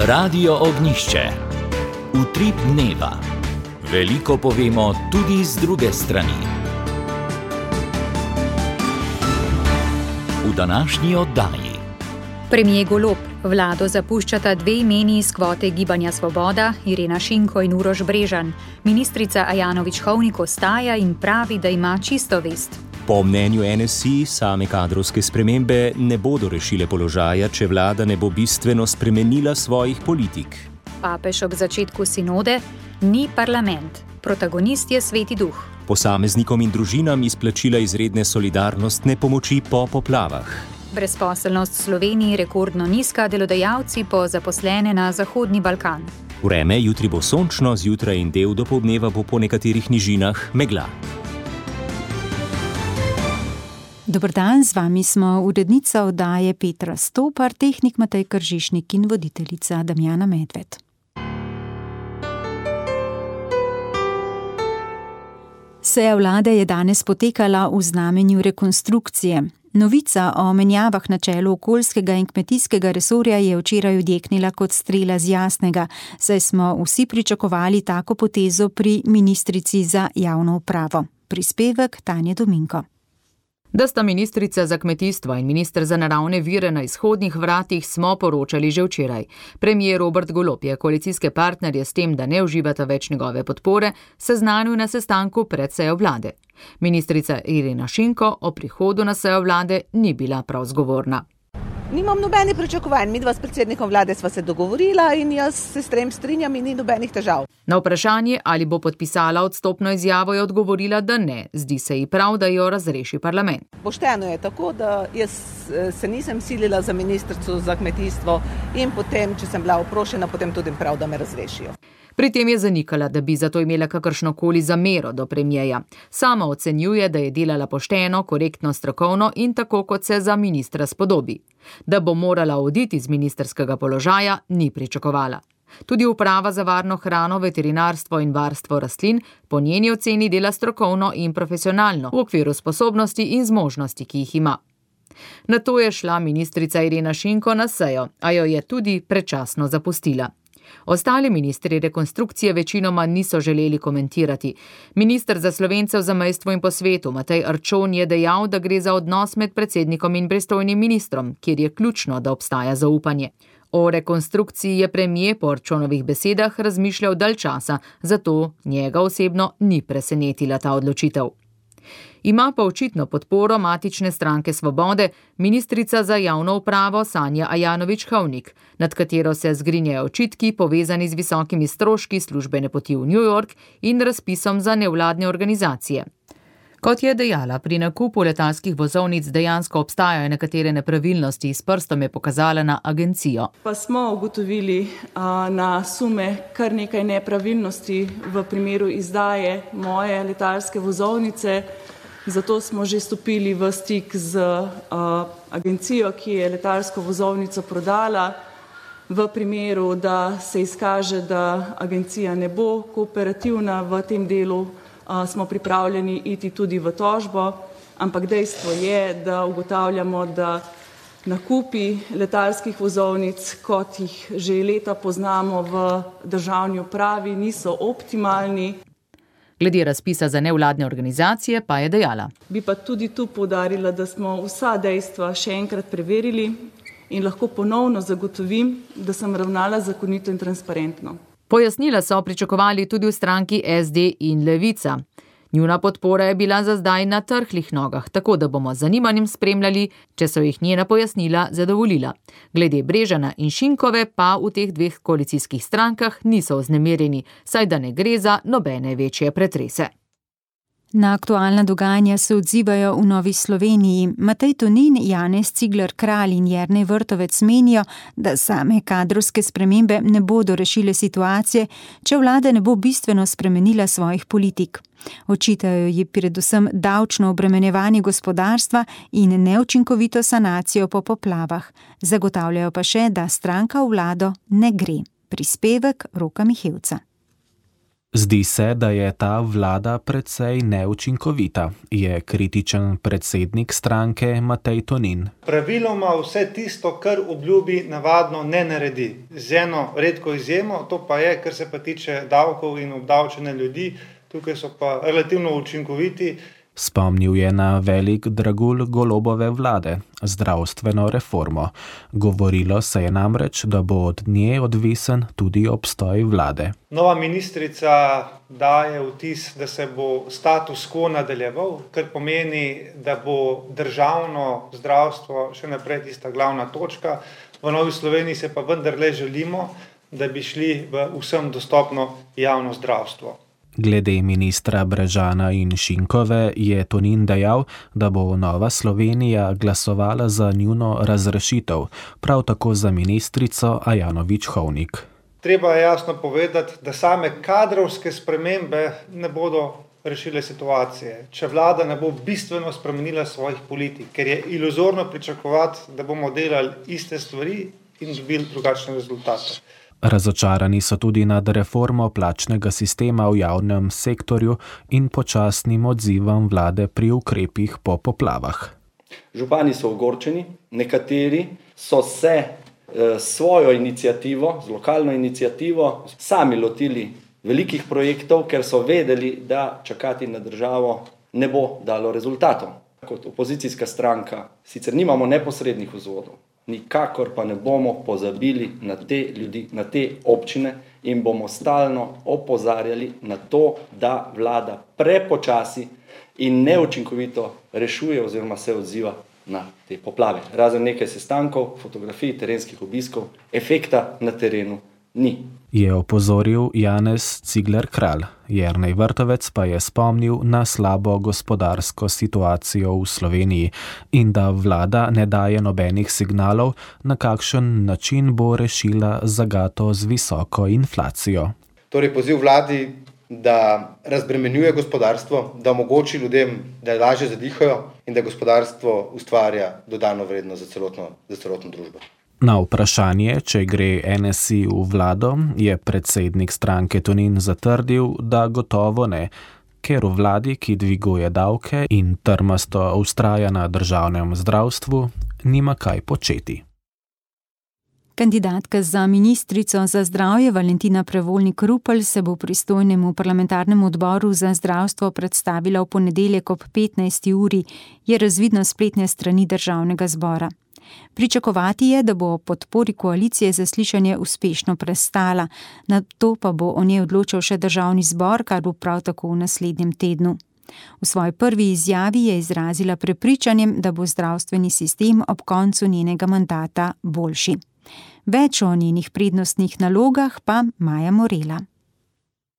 Radio Ognjišče. Utrip dneva. Veliko povemo tudi z druge strani. V današnji oddaji. Premier Golob, vlado zapuščata dve imeni iz kvote Gibanja Svoboda, Irena Šinko in Uroš Brežan. Ministrica Ajanović-Hovnik ostaja in pravi, da ima čisto vest. Po mnenju NSI same kadrovske spremembe ne bodo rešile položaja, če vlada ne bo bistveno spremenila svojih politik. Papež ob začetku sinode: ni parlament, protagonist je Sveti Duh. Posameznikom in družinam izplačila izredne solidarnostne pomoči po poplavah. Brezposelnost v Sloveniji rekordno nizka, delodajalci po zaposlene na Zahodni Balkan. Vreme jutri bo sončno, zjutraj in del dopoldneva bo po nekaterih nižinah megla. Dober dan, z vami smo urednica oddaje Petra Stopar, tehnik Matej Kržišnik in voditeljica Damjana Medved. Seja vlade je danes potekala v znamenju rekonstrukcije. Novica o menjavah na čelu okoljskega in kmetijskega resorja je včeraj odjeknila kot strela z jasnega, saj smo vsi pričakovali tako potezo pri ministrici za javno upravo. Prispevek Tanje Dominko. Da sta ministrica za kmetijstvo in minister za naravne vire na izhodnih vratih, smo poročali že včeraj. Premier Robert Golob je koalicijske partnerje s tem, da ne uživata več njegove podpore, seznanil na sestanku pred sejo vlade. Ministrica Irena Šinko o prihodu na sejo vlade ni bila prav zgovorna. Nimam nobenih pričakovanj, midva s predsednikom vlade sva se dogovorila in jaz se s tem strinjam in ni nobenih težav. Na vprašanje, ali bo podpisala odstopno izjavo, je odgovorila, da ne. Zdi se ji prav, da jo razreši parlament. Pošteno je tako, da jaz se nisem silila za ministrico za kmetijstvo in potem, če sem bila oprošena, potem tudi prav, da me razrešijo. Pri tem je zanikala, da bi zato imela kakršnokoli zamero do premierja. Sama ocenjuje, da je delala pošteno, korektno, strokovno in tako, kot se za ministra spodobi. Da bo morala oditi z ministrskega položaja, ni pričakovala. Tudi uprava za varno hrano, veterinarstvo in varstvo rastlin po njeni oceni dela strokovno in profesionalno v okviru sposobnosti in zmožnosti, ki jih ima. Nato je šla ministrica Irena Šinko na sejo, a jo je tudi predčasno zapustila. Ostali ministri rekonstrukcije večinoma niso želeli komentirati. Minister za Slovence v zamejstvu in po svetu Matej Arčon je dejal, da gre za odnos med predsednikom in pristojnim ministrom, kjer je ključno, da obstaja zaupanje. O rekonstrukciji je premier po Arčonovih besedah razmišljal dalj časa, zato njega osebno ni presenetila ta odločitev. Ima pa očitno podporo matične stranke Svobode, ministrica za javno upravo Sanja Ajanović-Hovnik, nad katero se zgrinjajo očitki povezani z visokimi stroški službene poti v New York in razpisom za nevladne organizacije. Kot je dejala, pri nakupu letalskih vozovnic dejansko obstajajo nekatere nepravilnosti, s prstom je pokazala na agencijo. Pa smo ugotovili na sume kar nekaj nepravilnosti v primeru izdaje moje letalske vozovnice, zato smo že stopili v stik z agencijo, ki je letalsko vozovnico prodala. V primeru, da se izkaže, da agencija ne bo kooperativna v tem delu, smo pripravljeni iti tudi v tožbo, ampak dejstvo je, da ugotavljamo, da nakupi letalskih vozovnic, kot jih že leta poznamo v državni upravi, niso optimalni. Glede razpisa za nevladne organizacije pa je dejala. Bi pa tudi tu poudarila, da smo vsa dejstva še enkrat preverili in lahko ponovno zagotovim, da sem ravnala zakonito in transparentno. Pojasnila so pričakovali tudi v stranki SD in Levica. Njuna podpora je bila za zdaj na trhlih nogah, tako da bomo z zanimanjem spremljali, če so jih njena pojasnila zadovoljila. Glede Brežana in Šinkove pa v teh dveh koalicijskih strankah niso vznemirjeni, saj da ne gre za nobene večje pretrese. Na aktualna dogajanja se odzivajo v Novi Sloveniji. Matej Tonin, Janez Cigler Kralj in Jernej Vrtovec menijo, da same kadrovske spremembe ne bodo rešile situacije, če vlada ne bo bistveno spremenila svojih politik. Očitajo ji predvsem davčno obremenjevanje gospodarstva in neučinkovito sanacijo po poplavah. Zagotavljajo pa še, da stranka v vlado ne gre. Prispevek Roka Mihevca. Zdi se, da je ta vlada precej neučinkovita, je kritičen predsednik stranke Matej Tonin. Praviloma vse tisto, kar obljubi, navadno ne naredi. Z eno redko izjemo, to pa je, kar se pa tiče davkov in obdavčenja ljudi, tukaj so pa relativno učinkoviti. Spomnil je na velik dragulj Golobove vlade, zdravstveno reformo. Govorilo se je namreč, da bo od nje odvisen tudi obstoj vlade. Nova ministrica daje vtis, da se bo status quo nadaljeval, kar pomeni, da bo državno zdravstvo še naprej tista glavna točka. V Novi Sloveniji se pa vendarle želimo, da bi šli v vsem dostopno javno zdravstvo. Glede ministra Brežana in Šinkove je Tonin dejal, da bo Nova Slovenija glasovala za njuno razrešitev, prav tako za ministrico Ajanović Hovnik. Treba je jasno povedati, da same kadrovske spremembe ne bodo rešile situacije, če vlada ne bo bistveno spremenila svojih politik, ker je iluzorno pričakovati, da bomo delali iste stvari in dobili drugačne rezultate. Razočarani so tudi nad reformo plačnega sistema v javnem sektorju in počasnim odzivom vlade pri ukrepih po poplavah. Župani so ogorčeni, nekateri so se svojo iniciativo, z lokalno iniciativo, sami lotili velikih projektov, ker so vedeli, da čakati na državo ne bo dalo rezultatov. Kot opozicijska stranka sicer nimamo neposrednih vzvodov, nikakor pa ne bomo pozabili na te ljudi, na te občine in bomo stalno opozarjali na to, da vlada prepočasi in neučinkovito rešuje oziroma se odziva na te poplave. Razen nekaj sestankov, fotografij, terenskih obiskov, efekta na terenu ni. Je opozoril Janez Cigler Kralj. Jernej Vrtovec pa je spomnil na slabo gospodarsko situacijo v Sloveniji in da vlada ne daje nobenih signalov, na kakšen način bo rešila zagato z visoko inflacijo. Torej poziv vladi, da razbremenjuje gospodarstvo, da omogoči ljudem, da lažje zadihajo in da gospodarstvo ustvarja dodano vrednost za celotno družbo. Na vprašanje, če gre NSI v vlado, je predsednik stranke Tonin zatrdil, da gotovo ne, ker v vladi, ki dviguje davke in trmasto vztraja na državnem zdravstvu, nima kaj početi. Kandidatka za ministrico za zdravje Valentina Prevolnik Rupel se bo pristojnemu parlamentarnemu odboru za zdravstvo predstavila v ponedeljek ob 15. uri, je razvidno spletne strani Državnega zbora. Pričakovati je, da bo o podpori koalicije zaslišanje uspešno prestala, nato pa bo o njej odločal še Državni zbor, kar bo prav tako v naslednjem tednu. V svoji prvi izjavi je izrazila prepričanjem, da bo zdravstveni sistem ob koncu njenega mandata boljši. Več o njenih prednostnih nalogah pa Maja Morela.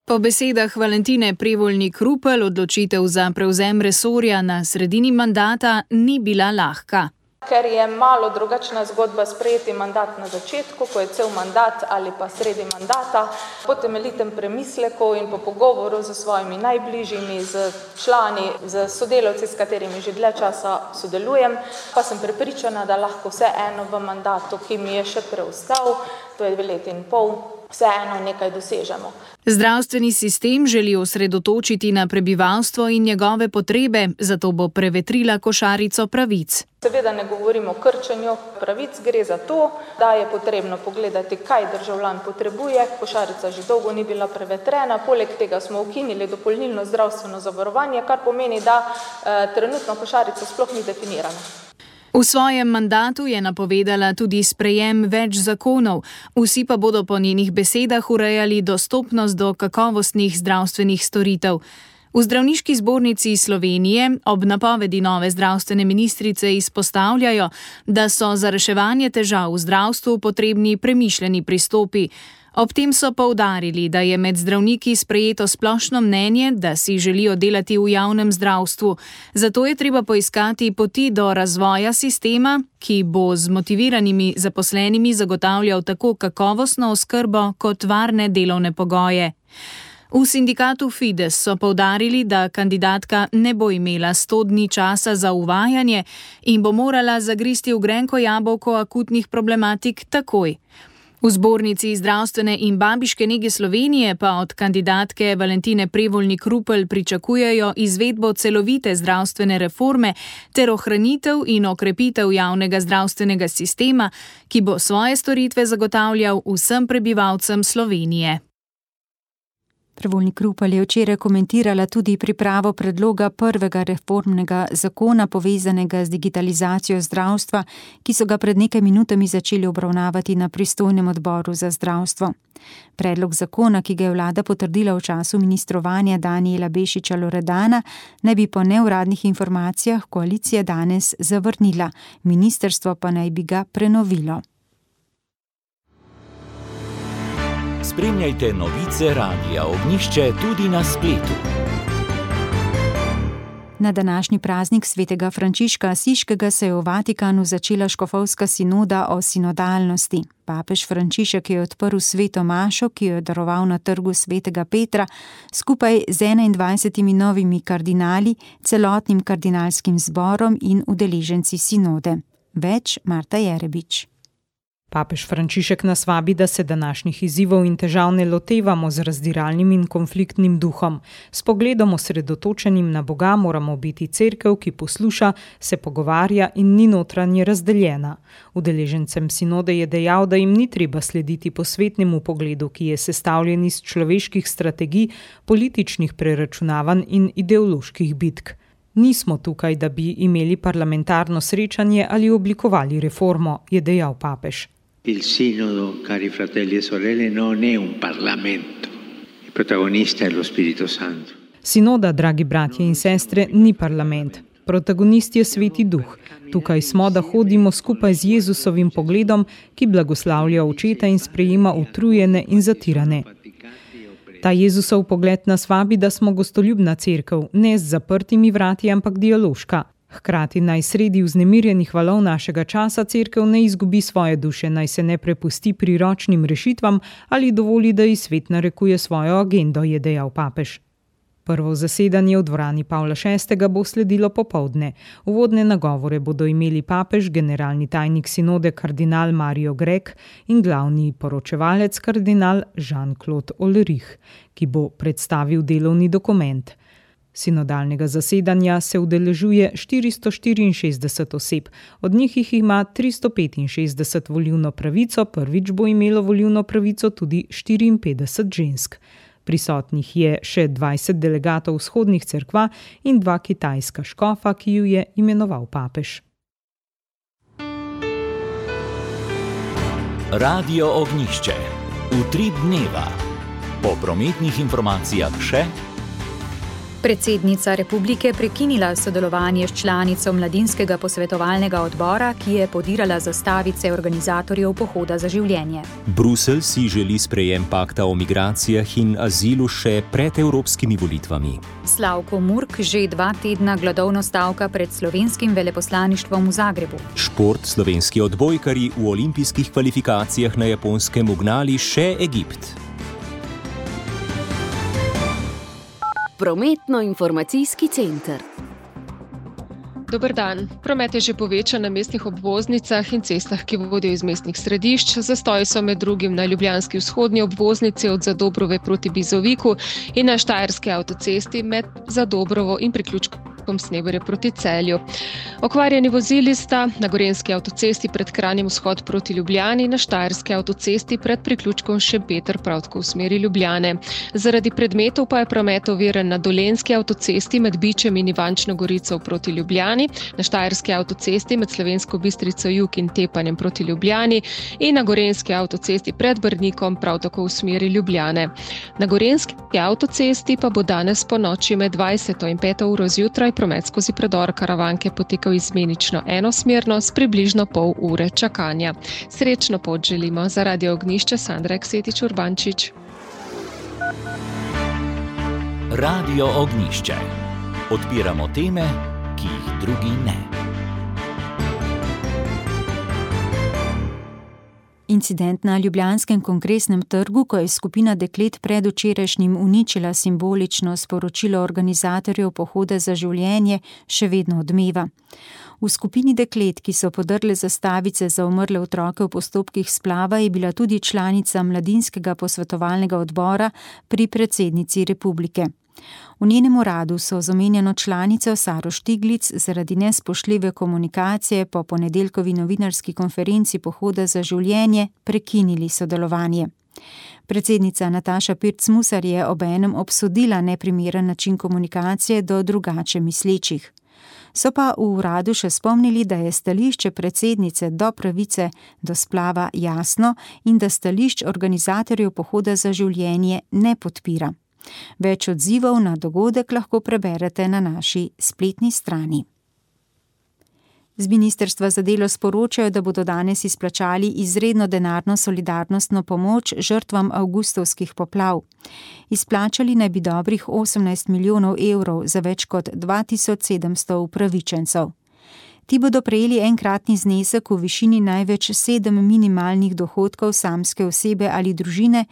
Po besedah Valentine Prevolnik Rupel odločitev za prevzem resorja na sredini mandata ni bila lahka. Ker je malo drugačna zgodba sprejeti mandat na začetku, ko je cel mandat ali pa sredi mandata, po temeljitem premisleku in po pogovoru z svojimi najbližjimi, z člani, z sodelavci, s katerimi že dlje časa sodelujem, pa sem prepričana, da lahko vseeno v mandatu, ki mi je še preostal, to je 2 leti in pol, vseeno nekaj dosežemo. Zdravstveni sistem želi osredotočiti na prebivalstvo in njegove potrebe, zato bo prevetrila košarico pravic. Seveda ne govorimo o krčenju pravic, gre za to, da je potrebno pogledati, kaj državljan potrebuje. Košarica že dolgo ni bila prevetrena, poleg tega smo ukinili dopolnilno zdravstveno zavarovanje, kar pomeni, da trenutno košarica sploh ni definirana. V svojem mandatu je napovedala tudi sprejem več zakonov, vsi pa bodo po njenih besedah urejali dostopnost do kakovostnih zdravstvenih storitev. V Zdravniški zbornici Slovenije ob napovedi nove zdravstvene ministrice izpostavljajo, da so za reševanje težav v zdravstvu potrebni premišljeni pristopi. Ob tem so poudarili, da je med zdravniki sprejeto splošno mnenje, da si želijo delati v javnem zdravstvu. Zato je treba poiskati poti do razvoja sistema, ki bo z motiviranimi zaposlenimi zagotavljal tako kakovostno oskrbo kot varne delovne pogoje. V sindikatu Fides so poudarili, da kandidatka ne bo imela 100 dni časa za uvajanje in bo morala zagristi v grenko jabolko akutnih problematik takoj. V Zbornici zdravstvene in babiške nege Slovenije pa od kandidatke Valentine Prevolnik-Rupel pričakujejo izvedbo celovite zdravstvene reforme ter ohranitev in okrepitev javnega zdravstvenega sistema, ki bo svoje storitve zagotavljal vsem prebivalcem Slovenije. Prevolnik-Rupel je včeraj komentirala tudi pripravo predloga prvega reformnega zakona povezanega z digitalizacijo zdravstva, ki so ga pred nekaj minutami začeli obravnavati na pristojnem odboru za zdravstvo. Predlog zakona, ki ga je vlada potrdila v času ministrovanja Danijela Bešiča Loredana, naj bi po neuradnih informacijah koalicija danes zavrnila, ministrstvo pa naj bi ga prenovilo. Spremljajte novice Radia Ognjišče tudi na spletu. Na današnji praznik svetega Frančiška Asiškega se je v Vatikanu začela škofovska sinoda o sinodalnosti. Papež Frančišek je odprl sveto mašo, ki jo je daroval na trgu svetega Petra, skupaj z 21 novimi kardinali, celotnim kardinalskim zborom in udeleženci sinode. Več Marta Jerebič. Papež Frančišek nas vabi, da se današnjih izzivov in težav ne lotevamo z razdiralnim in konfliktnim duhom. S pogledom osredotočenim na Boga moramo biti cerkev, ki posluša, se pogovarja in ni notranje razdeljena. Udeležencem sinode je dejal, da jim ni treba slediti posvetnemu pogledu, ki je sestavljen iz človeških strategij, političnih preračunavanj in ideoloških bitk. Nismo tukaj, da bi imeli parlamentarno srečanje ali oblikovali reformo, je dejal papež. Il sinodo, cari fratelli e sorelle, non è un parlamento. Il protagonista è lo Spirito Santo. Sinoda, dragi bratje in sestre, ni parlament. Protagonist je Sveti Duh. Tukaj smo, da hodimo skupaj z Jezusovim pogledom, ki blagoslavlja očeta in sprejema utrujene in zatirane. Ta Jezusov pogled nas vabi, da smo gostoljubna cerkev, ne z zaprtimi vrati, ampak dialoška. Hkrati naj sredi vznemirjenih valov našega časa cerkev ne izgubi svoje duše, naj se ne prepusti priročnim rešitvam ali dovoli, da ji svet narekuje svojo agendo, je dejal papež. Prvo zasedanje v dvorani Pavla VI. Bo sledilo popoldne. Uvodne nagovore bodo imeli papež, generalni tajnik sinode kardinal Mario Grek in glavni poročevalec kardinal Jean-Claude Ulrich, ki bo predstavil delovni dokument. Sinodalnega zasedanja se udeležuje 464 oseb, od njih jih ima 365 volilno pravico, prvič bo imelo volilno pravico tudi 54 žensk. Prisotnih je še 20 delegatov vzhodnih cerkva in 2 kitajska škofa, ki ju je imenoval papež. Radio Ognjišče. Utrip dneva. Po prometnih informacijah še. Predsednica republike prekinila sodelovanje s članico mladinskega posvetovalnega odbora, ki je podirala zastavice organizatorjev Pohoda za življenje. Bruselj si želi sprejem pakta o migracijah in azilu še pred evropskimi volitvami. Slavko Murk že 2 tedna gladovno stavka pred slovenskim veleposlaništvom v Zagrebu. Šport, slovenski odbojkarji v olimpijskih kvalifikacijah na Japonskem ugnali še Egipt. Prometno-informacijski center. Dober dan. Promet je že povečan na mestnih obvoznicah in cestah, ki vodijo iz mestnih središč. Zastoji so med drugim na ljubljanski vzhodni obvoznici od Zadobrove proti Bizoviku in na štajerski avtocesti med Zadobrovo in priključkom Sneberje proti Celju. Okvarjeni vozili sta na gorenjski avtocesti pred Kranjem vzhod proti Ljubljani, na štajerski avtocesti pred priključkom Šempeter prav tako v smeri Ljubljane. Zaradi predmetov pa je promet oviran na dolenjski avtocesti med Bičem in Ivančno Gorico proti Ljubljani, na štajerski avtocesti med Slovensko Bistrico jug in Tepanjem proti Ljubljani in na gorenjski avtocesti pred Brnikom prav tako v smeri Ljubljane. Na gorenjski avtocesti pa bo danes po noči med 20. in 5. uro zjutraj promet skozi predor Karavanke potekal izmenično enosmerno s približno pol ure čakanja. Srečno pot želimo. Za Radio Ognjišče Sandra Eksetič Urbančič. Radio Ognjišče. Odpiramo teme, ki jih drugi ne. Incident na ljubljanskem kongresnem trgu, ko je skupina deklet predvčerajšnjim uničila simbolično sporočilo organizatorjev Pohoda za življenje, še vedno odmeva. V skupini deklet, ki so podrle zastavice za umrle otroke v postopkih splava, je bila tudi članica mladinskega posvetovalnega odbora pri predsednici republike. V njenem uradu so z omenjeno članico Saro Štiglic zaradi nespoštljive komunikacije po ponedeljkovi novinarski konferenci Pohoda za življenje prekinili sodelovanje. Predsednica Nataša Pirc Musar je obenem obsodila neprimeren način komunikacije do drugače mislečih. So pa v uradu še spomnili, da je stališče predsednice do pravice do splava jasno in da stališč organizatorjev Pohoda za življenje ne podpira. Več odzivov na dogodek lahko preberete na naši spletni strani. Z ministrstva za delo sporočajo, da bodo danes izplačali izredno denarno solidarnostno pomoč žrtvam avgustovskih poplav. Izplačali naj bi dobrih 18 milijonov evrov za več kot 2700 upravičencev. Ti bodo prejeli enkratni znesek v višini največ 7 minimalnih dohodkov samske osebe ali družine,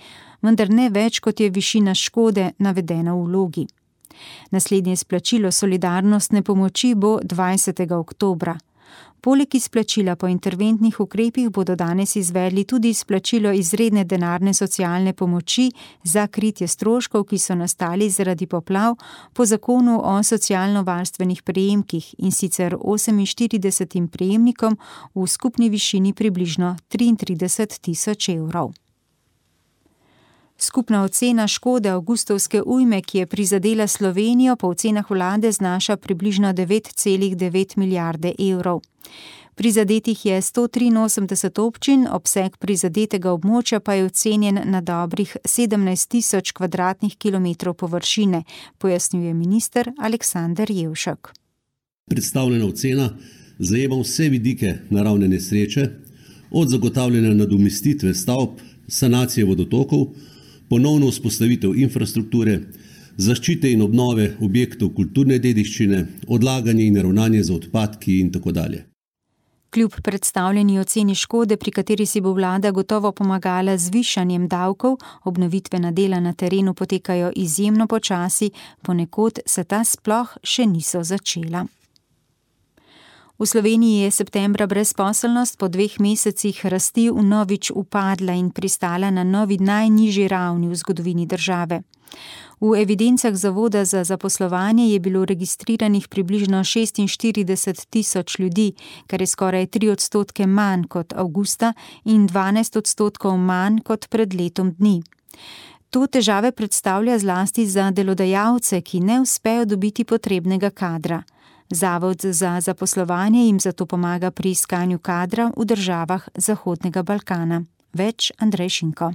vendar ne več, kot je višina škode navedena v vlogi. Naslednje izplačilo solidarnostne pomoči bo 20. oktobra. Poleg izplačila po interventnih ukrepih bodo danes izvedli tudi izplačilo izredne denarne socialne pomoči za kritje stroškov, ki so nastali zaradi poplav po zakonu o socialno-varstvenih prejemkih, in sicer 48 prejemnikom v skupni višini približno 33 tisoč evrov. Skupna ocena škode avgustovske ujme, ki je prizadela Slovenijo, po ocenah vlade znaša približno 9,9 milijarde evrov. Prizadetih je 183 občin, obseg prizadetega območja pa je ocenjen na dobrih 17 tisoč kvadratnih kilometrov površine, pojasnjuje minister Aleksander Jevšek. Predstavljena ocena zajema vse vidike naravne nesreče, od zagotavljanja nadomestitve stavb, sanacije vodotokov, ponovno vzpostavitev infrastrukture, zaščite in obnove objektov kulturne dediščine, odlaganje in ravnanje z odpadki in tako dalje. Kljub predstavljeni oceni škode, pri kateri si bo vlada gotovo pomagala z višanjem davkov, obnovitvena dela na terenu potekajo izjemno počasi, ponekod se ta sploh še niso začela. V Sloveniji je septembra brezposelnost po 2 mesecih rasti vnovič upadla in pristala na novi najnižji ravni v zgodovini države. V evidencah Zavoda za zaposlovanje je bilo registriranih približno 46 tisoč ljudi, kar je skoraj 3% manj kot avgusta in 12% manj kot pred letom dni. To težave predstavlja zlasti za delodajalce, ki ne uspejo dobiti potrebnega kadra. Zavod za zaposlovanje jim zato pomaga pri iskanju kadra v državah Zahodnega Balkana. Več Andrej Šinko.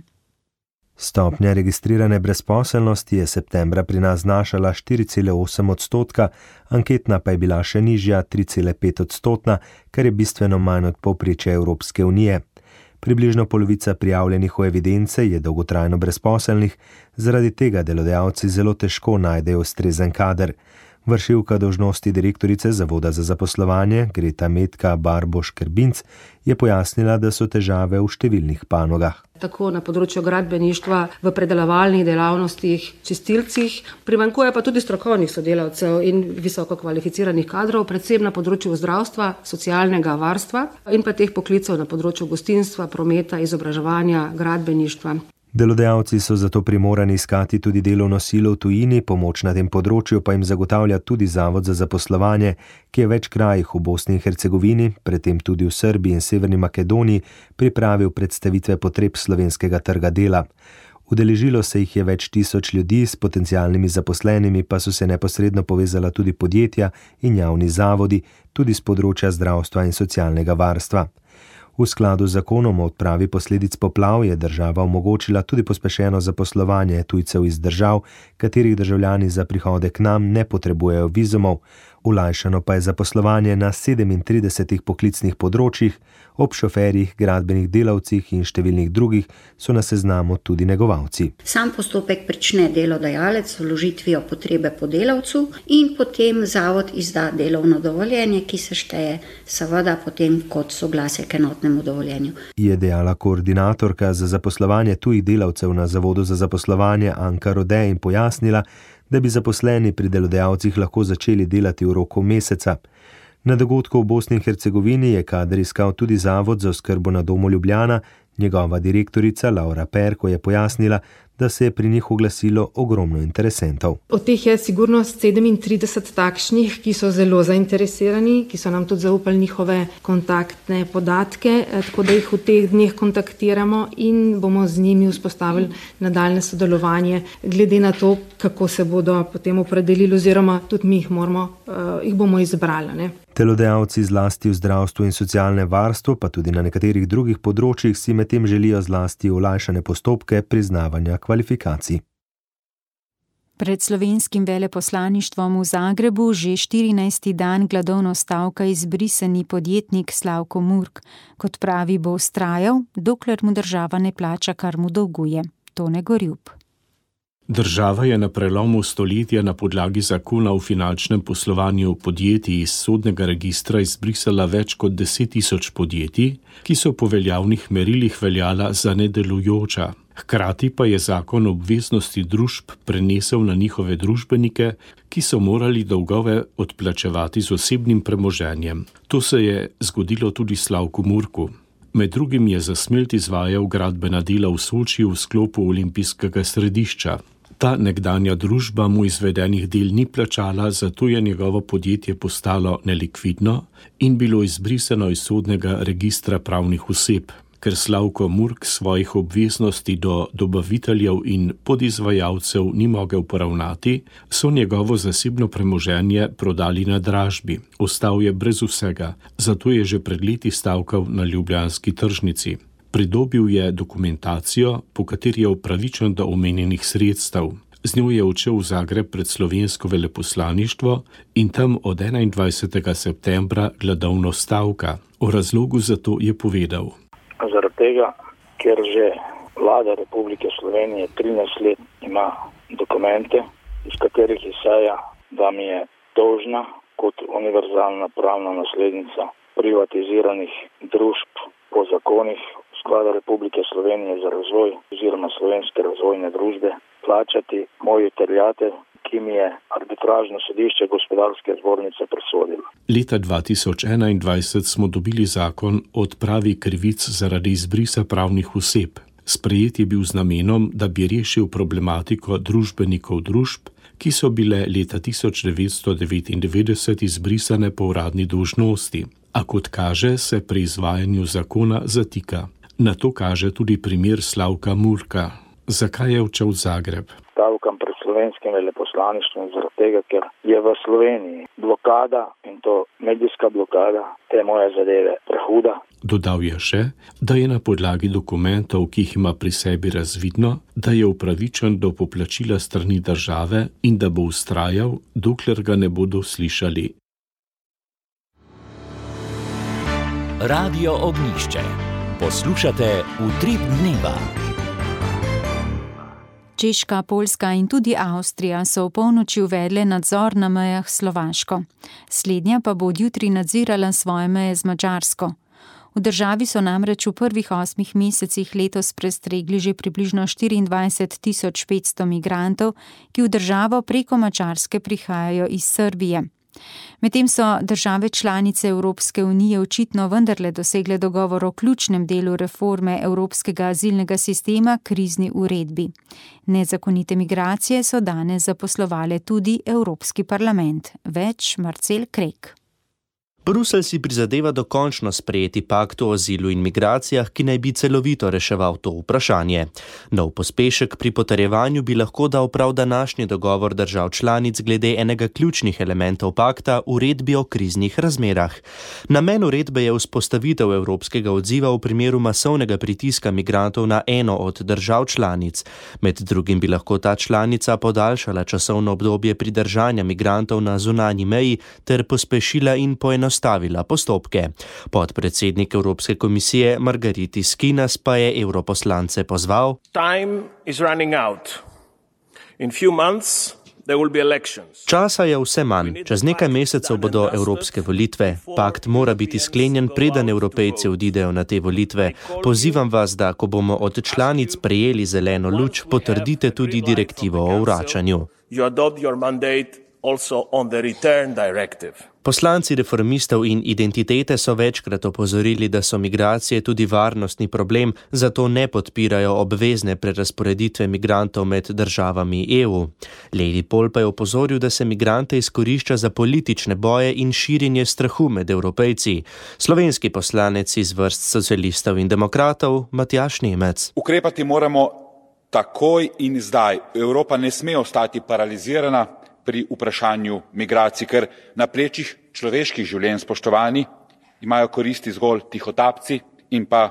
Stopnja registrirane brezposelnosti je septembra pri nas znašala 4,8%, anketna pa je bila še nižja 3,5%, kar je bistveno manj od povprečja Evropske unije. Približno polovica prijavljenih v evidence je dolgotrajno brezposelnih, zaradi tega delodajalci zelo težko najdejo ustrezen kader. Vršilka dolžnosti direktorice Zavoda za zaposlovanje Greta Metka Barboš-Krbinc je pojasnila, da so težave v številnih panogah. Tako na področju gradbeništva, v predelovalnih dejavnostih, čistilcih, primanjkuje pa tudi strokovnih sodelavcev in visoko kvalificiranih kadrov, predvsem na področju zdravstva, socialnega varstva in pa teh poklicev na področju gostinstva, prometa, izobraževanja, gradbeništva. Delodajalci so zato primorani iskati tudi delovno silo v tujini, pomoč na tem področju pa jim zagotavlja tudi Zavod za zaposlovanje, ki je v več krajih v Bosni in Hercegovini, predtem tudi v Srbiji in Severni Makedoniji, pripravil predstavitve potreb slovenskega trga dela. Udeležilo se jih je več tisoč ljudi, s potencialnimi zaposlenimi pa so se neposredno povezala tudi podjetja in javni zavodi, tudi z področja zdravstva in socialnega varstva. V skladu z zakonom o odpravi posledic poplav je država omogočila tudi pospešeno zaposlovanje tujcev iz držav, katerih državljani za prihode k nam ne potrebujejo vizumov. Olajšano pa je zaposlovanje na 37 poklicnih področjih, ob šoferjih, gradbenih delavcih in številnih drugih so na seznamu tudi negovalci. Sam postopek prične delodajalec z vložitvijo potrebe po delavcu in potem zavod izda delovno dovoljenje, ki se šteje seveda potem kot soglasje k enotnemu dovoljenju. Je dejala koordinatorka za zaposlovanje tujih delavcev na Zavodu za zaposlovanje Anka Rode in pojasnila, da bi zaposleni pri delodajalcih lahko začeli delati v roku meseca. Na dogodku v Bosni in Hercegovini je kader iskal tudi Zavod za oskrbo na domu Ljubljana. Njegova direktorica Laura Perko je pojasnila, da se je pri njih oglasilo ogromno interesentov. Od teh je sigurno 37 takšnih, ki so zelo zainteresirani, ki so nam tudi zaupali njihove kontaktne podatke, tako da jih v teh dneh kontaktiramo in bomo z njimi vzpostavili nadaljne sodelovanje, glede na to, kako se bodo potem opredelili oziroma tudi mi jih bomo izbrali. Ne? Delodajalci zlasti v zdravstvu in socialne varstvo, pa tudi na nekaterih drugih področjih si medtem želijo zlasti olajšane postopke priznavanja kvalifikacij. Pred slovenskim veleposlaništvom v Zagrebu že 14. dan gladovno stavka izbrisani podjetnik Slavko Murk. Kot pravi, bo vztrajal, dokler mu država ne plača, kar mu dolguje. Tone Gorjup. Država je na prelomu stoletja na podlagi zakona o finančnem poslovanju podjetij iz sodnega registra izbrisala več kot 10.000 podjetij, ki so po veljavnih merilih veljala za nedelujoča. Hkrati pa je zakon obveznosti družb prenesel na njihove družbenike, ki so morali dolgove odplačevati z osebnim premoženjem. To se je zgodilo tudi Slavku Murku. Med drugim je za smelt izvajal gradbena dela v Sočiju v sklopu olimpijskega središča. Ta nekdanja družba mu izvedenih del ni plačala, zato je njegovo podjetje postalo nelikvidno in bilo izbrisano iz sodnega registra pravnih oseb. Ker Slavko Murk svojih obveznosti do dobaviteljev in podizvajalcev ni mogel poravnati, so njegovo zasebno premoženje prodali na dražbi. Ostal je brez vsega, zato je že pred leti stavkal na ljubljanski tržnici. Pridobil je dokumentacijo, po kateri je upravičen do omenjenih sredstev. Z njo je odšel v Zagreb pred slovensko veleposlaništvo in tam od 21. septembra gladovno stavka. O razlogu za to je povedal. Zaradi tega, ker že vlada Republike Slovenije 13 let ima dokumente, iz katerih izhaja, da mi je dolžna kot univerzalna pravna naslednica privatiziranih družb po zakonih Sklada Republike Slovenije za razvoj oziroma Slovenske razvojne družbe plačati moji terjate, ki mi je arbitražno sodišče Gospodarske zbornice presodilo. Leta 2021 smo dobili zakon o odpravi krivic zaradi izbrisa pravnih oseb. Sprejet je bil z namenom, da bi rešil problematiko družbenikov družb, ki so bile leta 1999 izbrisane po uradni dolžnosti. A kot kaže, se pri izvajanju zakona zatika. Na to kaže tudi primer Slavka Murka. Zakaj je odšel v Zagreb? Stavkam pred slovenskim veleposlaništvom zaradi tega, ker je v Sloveniji blokada in to medijska blokada te moje zadeve prehuda. Dodal je še, da je na podlagi dokumentov, ki jih ima pri sebi razvidno, da je upravičen do poplačila strani države in da bo vztrajal, dokler ga ne bodo slišali. Radio Ognjišče. Poslušate Utrip dneva. Češka, Poljska in tudi Avstrija so v polnoči uvedle nadzor na mejah s Slovaško. Slednja pa bo od jutri nadzirala svoje meje z Madžarsko. V državi so namreč v prvih 8 mesecih letos prestregli že približno 24.500 migrantov, ki v državo preko Madžarske prihajajo iz Srbije. Medtem so države članice Evropske unije očitno vendarle dosegle dogovor o ključnem delu reforme evropskega azilnega sistema, krizni uredbi. Nezakonite migracije so danes zaposlovale tudi Evropski parlament. Več Marcel Krek. Bruselj si prizadeva dokončno sprejeti pakt o azilu in migracijah, ki naj bi celovito reševal to vprašanje. Nov pospešek pri potrjevanju bi lahko dal prav današnji dogovor držav članic glede enega ključnih elementov pakta, uredbi o kriznih razmerah. Namen uredbe je vzpostavitev evropskega odziva v primeru masovnega pritiska migrantov na eno od držav članic. Med drugim bi lahko ta članica podaljšala časovno obdobje pridržanja migrantov na zunanji meji ter pospešila in poenostavila postopke. Podpredsednik Evropske komisije Margaritis Skinas pa je europoslance pozval: Časa je vse manj. Čez nekaj mesecev bodo evropske volitve. Pakt mora biti sklenjen, preden Evropejci odidejo na te volitve. Pozivam vas, da ko bomo od članic prejeli zeleno luč, potrdite tudi direktivo o vračanju. Poslanci reformistov in identitete so večkrat opozorili, da so migracije tudi varnostni problem, zato ne podpirajo obvezne prerazporeditve migrantov med državami EU. Lady Paul pa je opozoril, da se migrante izkorišča za politične boje in širjenje strahu med Evropejci. Slovenski poslanec iz vrst socialistov in demokratov Matjaž Nemec. Ukrepati moramo takoj in zdaj. Evropa ne sme ostati paralizirana pri vprašanju migracij, ker na plečih človeških življenj, spoštovani, imajo koristi zgolj tihotapci in pa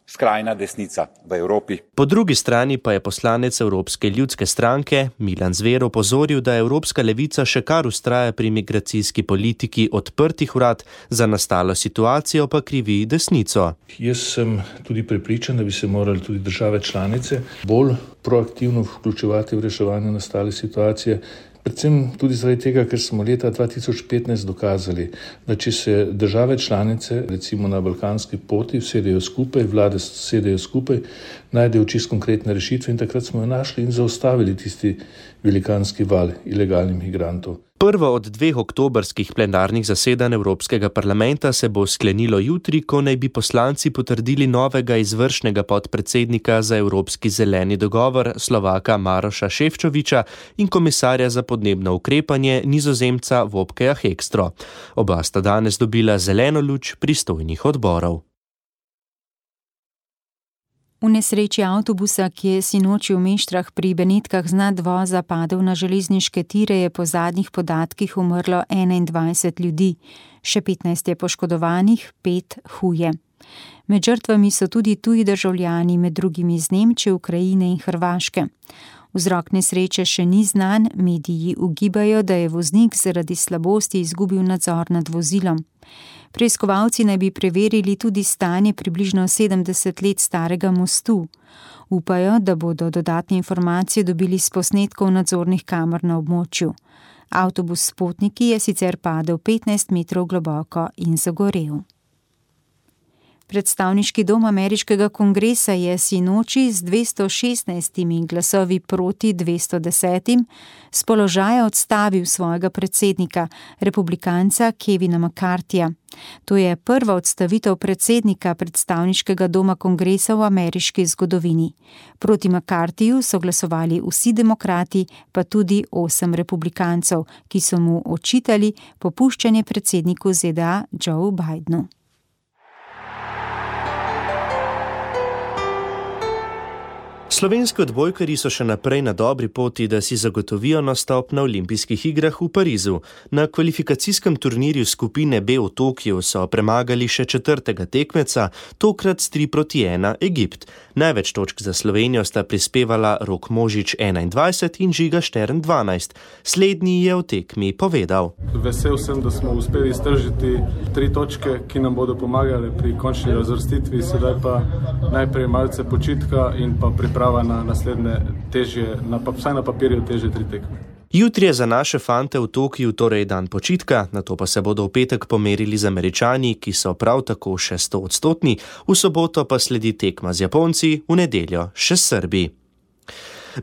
skrajna desnica v Evropi. Po drugi strani pa je poslanec Evropske ljudske stranke Milan Zver opozoril, da Evropska levica še kar vztraja pri migracijski politiki odprtih vrat, za nastalo situacijo pa krivi desnico. Jaz sem tudi prepričan, da bi se morali tudi države članice bolj proaktivno vključevati v reševanje nastale situacije. Predvsem tudi zaradi tega, ker smo leta 2015 dokazali, da če se države članice, recimo na balkanski poti, sedejo skupaj, vlade sedejo skupaj, najdejo čisto konkretne rešitve in takrat smo jo našli in zaustavili tisti velikanski val ilegalnih migrantov. Prvo od 2 oktobrskih plenarnih zasedanj Evropskega parlamenta se bo sklenilo jutri, ko naj bi poslanci potrdili novega izvršnega podpredsednika za Evropski zeleni dogovor Slovaka Maroša Šefčoviča in komisarja za podnebno ukrepanje Nizozemca Wopkeja Hekstro. Oba sta danes dobila zeleno luč pristojnih odborov. V nesreči avtobusa, ki je sinoči v Meštrah pri Benetkah z nadvoza padel na železniške tire, je po zadnjih podatkih umrlo 21 ljudi, še 15 je poškodovanih, 5 huje. Med žrtvami so tudi tuji državljani, med drugimi iz Nemčije, Ukrajine in Hrvaške. Vzrok nesreče še ni znan, mediji ugibajo, da je voznik zaradi slabosti izgubil nadzor nad vozilom. Preiskovalci naj bi preverili tudi stanje približno 70 let starega mostu. Upajo, da bodo dodatne informacije dobili s posnetkov nadzornih kamer na območju. Avtobus s potniki je sicer padel 15 metrov globoko in zagorel. Predstavniški dom ameriškega kongresa je sinoči z 216 glasovi proti 210 s položaja odstavil svojega predsednika, republikanca Kevina McCarthyja. To je prva odstavitev predsednika predstavniškega doma kongresa v ameriški zgodovini. Proti McCarthyju so glasovali vsi demokrati, pa tudi 8 republikancev, ki so mu očitali popuščanje predsedniku ZDA Joe Bidenu. Slovenski odbojkarji so še naprej na dobri poti, da si zagotovijo nastop na olimpijskih igrah v Parizu. Na kvalifikacijskem turnirju skupine B v Tokiu so premagali še 4. tekmeca, tokrat s 3-1 Egipt. Največ točk za Slovenijo sta prispevala Rok Možič 21 in Žiga Štern 12. Slednji je o tekmi povedal: Vesel sem, da smo uspeli iztržiti 3 točke, ki nam bodo pomagale pri končni razvrstitvi, sedaj pa najprej malce počitka in pa priprava na naslednje težje, vsaj na papirju težje 3 tekme. Jutri je za naše fante v Tokiu torej dan počitka, nato pa se bodo v petek pomerili z Američani, ki so prav tako še 100-odstotni, v soboto pa sledi tekma z Japonci, v nedeljo še s Srbi.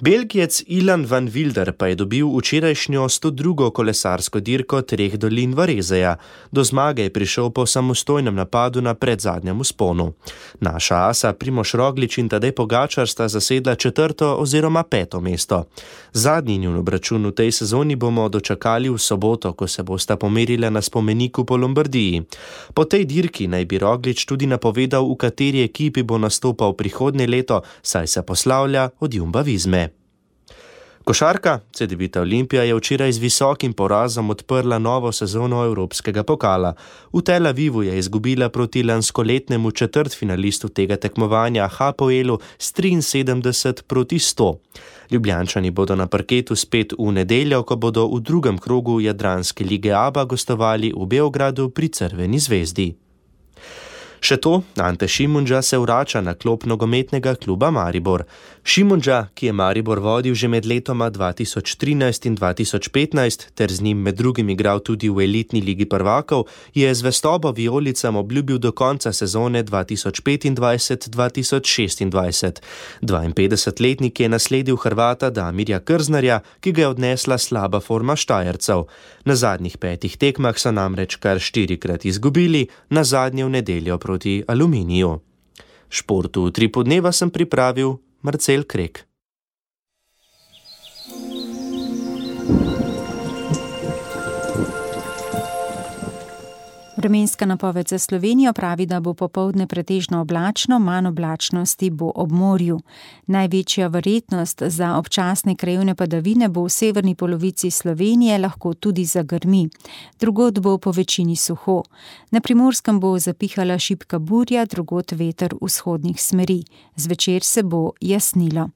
Belgijec Ilan van Wilder pa je dobil včerajšnjo 102. kolesarsko dirko Treh dolin Varezeja. Do zmage je prišel po samostojnem napadu na predzadnjem vzponu. Naša asa Primož Roglič in Tadej Pogačar sta zasedla 4. oziroma 5. mesto. Zadnji njun obračun v tej sezoni bomo dočakali v soboto, ko se bosta pomerila na spomeniku po Lombardiji. Po tej dirki naj bi Roglič tudi napovedal, v kateri ekipi bo nastopal prihodnje leto, saj se poslavlja od Jumbo-Visme. Košarka Cedevita Olimpija je včeraj z visokim porazom odprla novo sezono Evropskega pokala. V Tel Avivu je izgubila proti lanskoletnemu četrtfinalistu tega tekmovanja Hapoelu s 73-100. Ljubljančani bodo na parketu spet v nedeljo, ko bodo v drugem krogu Jadranske lige ABA gostovali v Beogradu pri Crveni zvezdi. Še to, Ante Šimundža se vrača na klop nogometnega kluba Maribor. Šimundža, ki je Maribor vodil že med letoma 2013 in 2015, ter z njim med drugim igral tudi v elitni ligi prvakov, je zvestobo vijolicam obljubil do konca sezone 2025-2026. 52-letnik je nasledil Hrvata Damirja Krznarja, ki ga je odnesla slaba forma Štajercev. Na zadnjih 5 tekmah so namreč kar 4-krat izgubili, na zadnje v nedeljo proti Aluminiju. Športu v 3 dneva sem pripravil Marcel Krek. Vremenska napoved za Slovenijo pravi, da bo popoldne pretežno oblačno, manj oblačnosti bo ob morju. Največja verjetnost za občasne krajevne padavine bo v severni polovici Slovenije, lahko tudi zagrmi. Drugod bo po večini suho. Na Primorskem bo zapihala šibka burja, drugod veter vzhodnih smeri. Zvečer se bo jasnilo.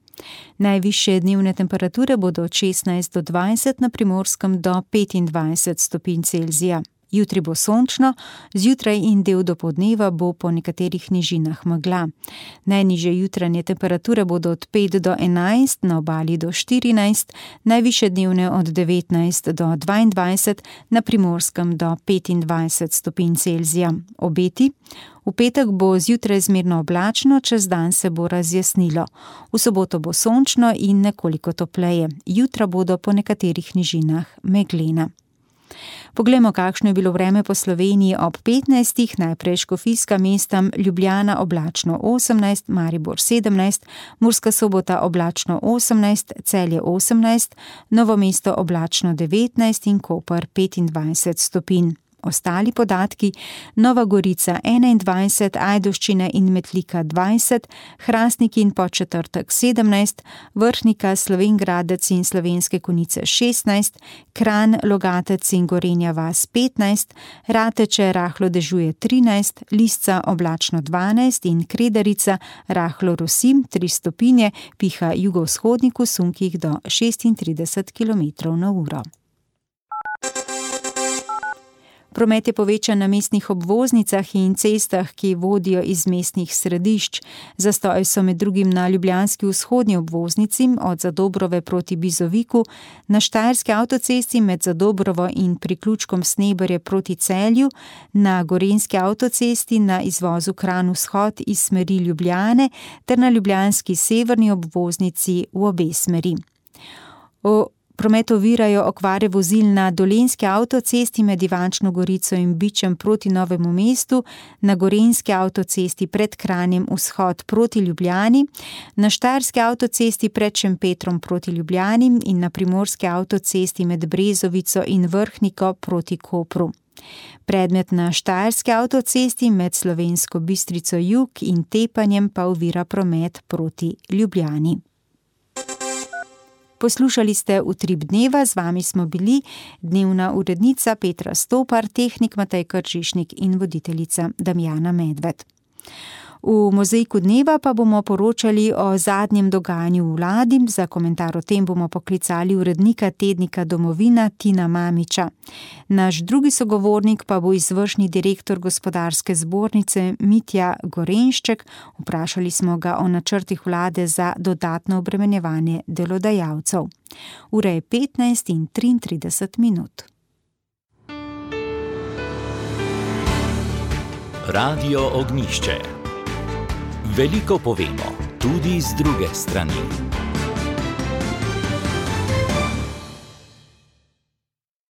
Najvišje dnevne temperature bodo od 16 do 20, na Primorskem do 25 stopinj Celzija. Jutri bo sončno, zjutraj in del dopoldneva bo po nekaterih nižinah megla. Najnižje jutranje temperature bodo od 5 do 11, na obali do 14, najvišje dnevne od 19 do 22, na Primorskem do 25 stopinj Celzija. Obeti? V petek bo zjutraj zmerno oblačno, čez dan se bo razjasnilo. V soboto bo sončno in nekoliko topleje. Jutra bodo po nekaterih nižinah meglena. Poglejmo, kakšno je bilo vreme po Sloveniji ob 15. Najprej škofijska mesta: Ljubljana oblačno 18, Maribor 17, Murska Sobota oblačno 18, Celje 18, Novo mesto oblačno 19 in Koper 25 stopinj. Ostali podatki: Nova Gorica 21, Ajdovščina in Metlika 20, Hrastnik in Podčetrtek 17, Vrhnika, Slovenj Gradec in Slovenske Konjice 16, Kranj, Logatec in Gorenja vas 15, Rateče rahlo dežuje 13, Lisca oblačno 12 in Kredarica rahlo rosi 3 stopinje, piha jugovzhodnik v sunkih do 36 km/h. Promet je povečan na mestnih obvoznicah in cestah, ki vodijo iz mestnih središč. Zastoji so med drugim na ljubljanski vzhodni obvoznici od Zadobrove proti Bizoviku, na Štajerski avtocesti med Zadobrovo in priključkom Sneberje proti Celju, na Gorenjski avtocesti na izvozu Kranj vzhod iz smeri Ljubljane ter na ljubljanski severni obvoznici v obe smeri. Promet ovirajo okvare vozil na Dolenjski avtocesti med Ivančno Gorico in Bičem proti Novemu mestu, na Gorenjski avtocesti pred Kranjem vzhod proti Ljubljani, na Štajerski avtocesti pred Šempetrom proti Ljubljani in na Primorski avtocesti med Brezovico in Vrhniko proti Kopru. Predmet na Štajerski avtocesti med Slovensko Bistrico jug in Tepanjem pa ovira promet proti Ljubljani. Poslušali ste Utrip dneva, z vami smo bili dnevna urednica Petra Stopar, tehnik Matej Kržišnik in voditeljica Damjana Medved. V Mozaiku dneva pa bomo poročali o zadnjem dogajanju v vladi. Za komentar o tem bomo poklicali urednika tednika Domovina Tina Mamiča. Naš drugi sogovornik pa bo izvršni direktor Gospodarske zbornice Mitja Gorenšček. Vprašali smo ga o načrtih vlade za dodatno obremenjevanje delodajalcev. Ura je 15:33. Radio Ognjišče. Veliko povemo, tudi z druge strani.